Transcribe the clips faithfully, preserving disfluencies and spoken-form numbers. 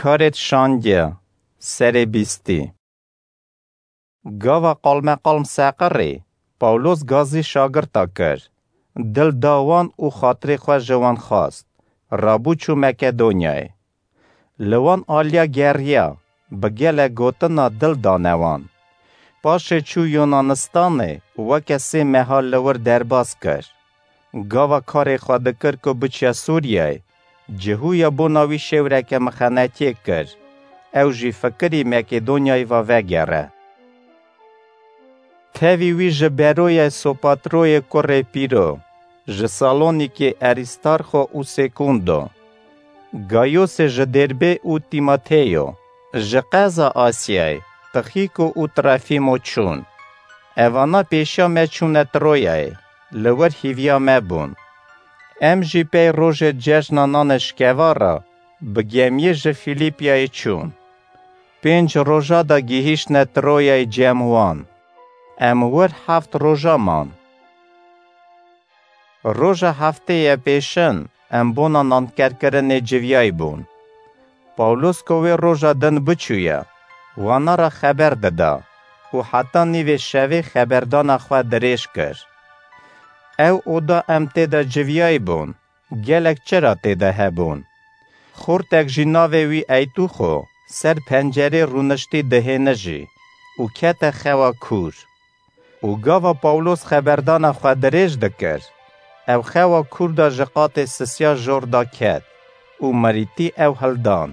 Karêt şandiya, serê bîstî. Gava qalmeqalm seqirî, Pawlos gazî şagirta kir. Dil da wan û xatirê xwe ji wan xwest. Rabû çû Makedonyayê. Li wan aliya geriya, bi gelek gotina dil dane wan. Paşê çû Yunanistanê û weke sê meha li wir derbas kir. Gava karê xwe dikir ku biçiya Sûriyeyê, cihûya bona wî şêwreke mixenetiyê kir. Ew jî fikirî Makedonyayê va vegere. Tevî wî ji Beroyê Sopatroyê kurê Pîro, ji Salonîkê Arîstarxo û Sêkundo, Gayosê ji Dêrbê û Tîmoteyo, ji qeza Asyayê Tixîko û Trefîmo çûn. Evana pêşiya me çûne Troyayê, li wir hîviya me bûn. Em jî pey rojê cejna nanê şikeva re bi gemiyê ji Fîlîpyayê çûn. Pênc roja de gihîştne Troyayê cem wan. Em wir heft roja man. Roja heftê ye pêşin em bona nankerkirinê civiyayî bûn. Pawlos ku wê roja din biçûye, wana re xeber dida û heta nîvê şevê xeberdana xwe dirêj kir. Ew oda em tê de civiyayî bûn, gelek çira tê de hebûn. Xortek jî navê wî Eytûxo ser pencerê rûniştî dihêne jî û kete xewa kûr. Û gava Pawlos xeberdana xwe dirêj dikir, ew xewa kûr de ji qatê sisiya jor de ket û mirîtî ew hildan.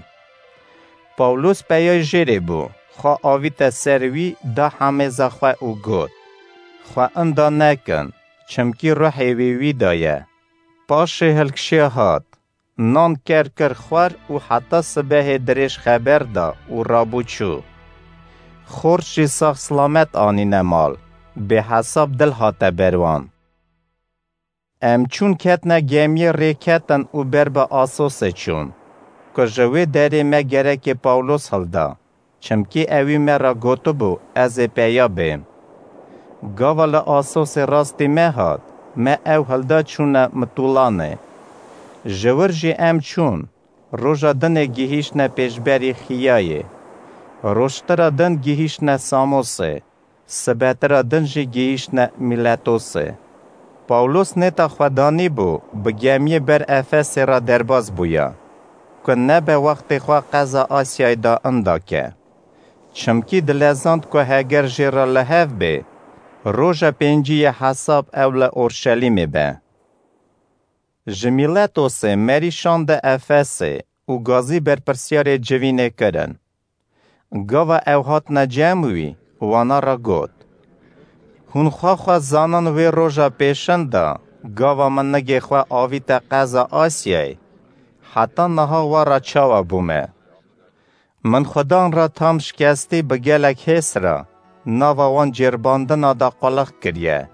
Pawlos peyay jêrê bû, xwe avîte ser wî, da hemêza xwe û got: Xwe inda nekin, çimkî ruhê wî wî de ye. Paşê hilkişiya hat, nan ker kir xwar û heta sibehê dirêj xeber da û rabû çû. Xort jî sax silamet anîne mal, bêhesab dil hate ber wan. Em çûn ketne gemiyê rêketin û ber bi Asosê çûn, ku ji wê derê me gerekê Pawlos hilda. Çimkî ewî me re gotibû, ez ê peya bêm. Gava li Asosê rastî me hat, me ew hilda çûne Mitûlanê. Ji wir jî em çûn, roja dinê gihîştine pêşberî Xiyayê. Rojtira din gihîştine Samosê, sibetira din jî gihîştine Mîletosê. Pawlos nêta xwe danîbû, bi gemiyê ber Efesê re derbas bûya, ku nebe wextê xwe qeza Asyayê da inda ke. Çimkî dilezand ku heger jê re li hev bê, roja pêncî yê hesab ew li Orşelîmê be. Ji Mîletosê merî şande Efesê û gazî berpirsyarê civînê kirin. Gava ew hatine cem wî, wana re got: Hûn xwe xwe zanin wê roja pêşin de, gava min nigê xwe avîte qeza Asyayê, heta niha we re çawa bûme? Min Xudan re tam şikestî bi gelek hês re nava wan cêrbandina de qulix kiriye.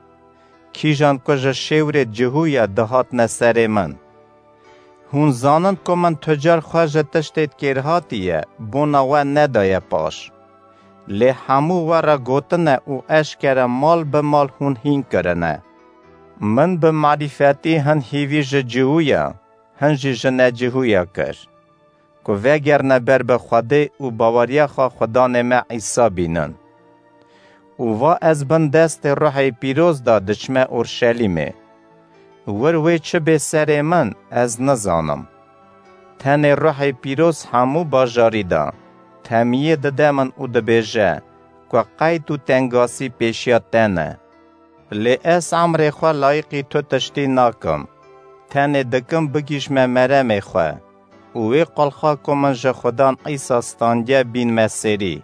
Kîjan ku ji şêwrê cihûye dihatine serê min. Hûn zanin ku min tu car xwe ji tiştê kêrhatî ye bona we nedaye paş. Lê hemû we re gotine û eşkere mal bi mal hûn hîn kirine. Min bi marîfetî hin hîvî ji cihûya, hin jî ji necihûya kir, ku vegerine ber bi Xwedê û baweriya xwe Xudanê me Îsa bînin. Û va ez bin destê Ruhê Pîroz de diçime Orşelîmê. Wir wê çi bê serê min, ez nizanim. Tenê Ruhê Pîroz hemû bajarî de temiyê dide min û dibêje, ku qeyd û tengasî pêşiya te ne. Lê ez emrê xwe layiqî tu tiştî nakim. Tenê dikim bigihîjme meremê xwe û wê qulxa ku min ji Xudan Îsa standiye bînme serî.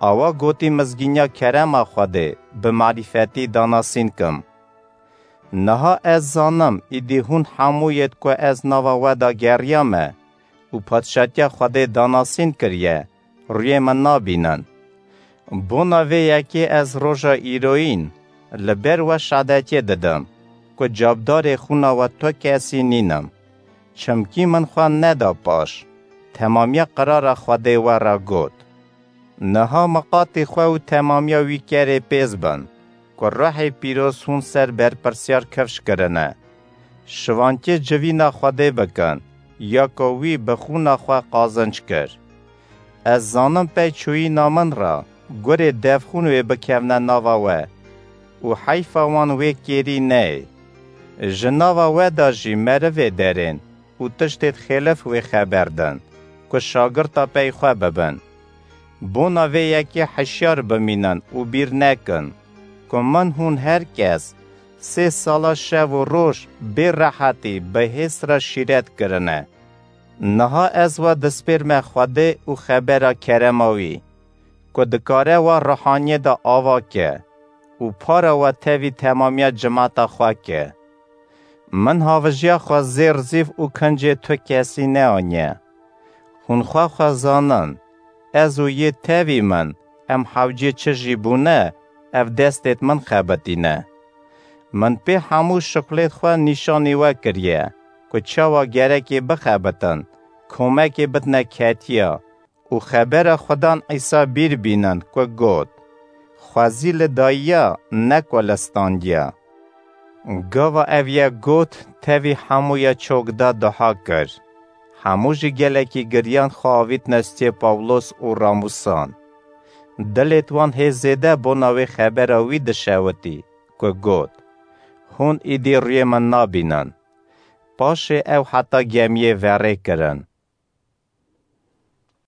Awa gotî mizgîniya kerema Xwedê bi marîfetî danasîn kim. Niha ez zanim, îdî hûn hemû yêt ku ez nava we de geriyame û padşatiya Xwedê danasîn kiriye, rûyê min nabînin. Bona vê yekê ez roja îroyîn li ber we şadetiyê didim, ku cabdarê xûna we tu kesî nînim. Çimkî min xwe neda paş, temamiya qirara Xwedê we re got. Niha miqatî xwe û temamiya wî kerê pêz bin, ku Ruhê Pîroz hûn ser berpirsyar kifş kirine. Şivankê civîna Xwedê bikin, ya ku wî bi xûna xwe qazinc kir. Ez zanim pey çûyîna min re gurê devxûn wê bikevne nava we û heyfa wan wê kêrî neyê. Ji nava we de jî merivê derên û tiştêd xêlif wê xeber din, ku şagirta pey xwe bibin. Bona vê yekê hişyar bimînin û bîr nekin, ku min hûn her kes sê sala şev û roj bê rehetî bi hêst re şîret kirine. Niha ez we dispêrme Xwedê û xebera kerema wî, ku dikare we ruhaniyê de ava ke û para we tevî temamiya cimata xwe ke. Min havijiya xwe zêr zîv û kincê tu kesî neaniye. Hûn xwe xwe zanin, ez û yê tevî min, em hewcê çi jî bûne, ev destêd min xebitîne. Min pê hemû şixulêd xwe nîşanî we kiriye, ku çawa gerekê bixebitin, komekê bidine ketiya û xebera Xudan Îsa bîr bînin, ku got, Xwezî li dayiya, ne ku li standiya. Gava ev ye got, tevî hemûya çok da duha kir. Hemû jî gelekî giriyan xwe avîtine stê Pawlos û ramûsan. Dilêd wan hê zêde bona wê xebera wî dişewitî, ku got, Hûn îdî rûyê min nabînin. Paşê ew heta gemiyê verê kirin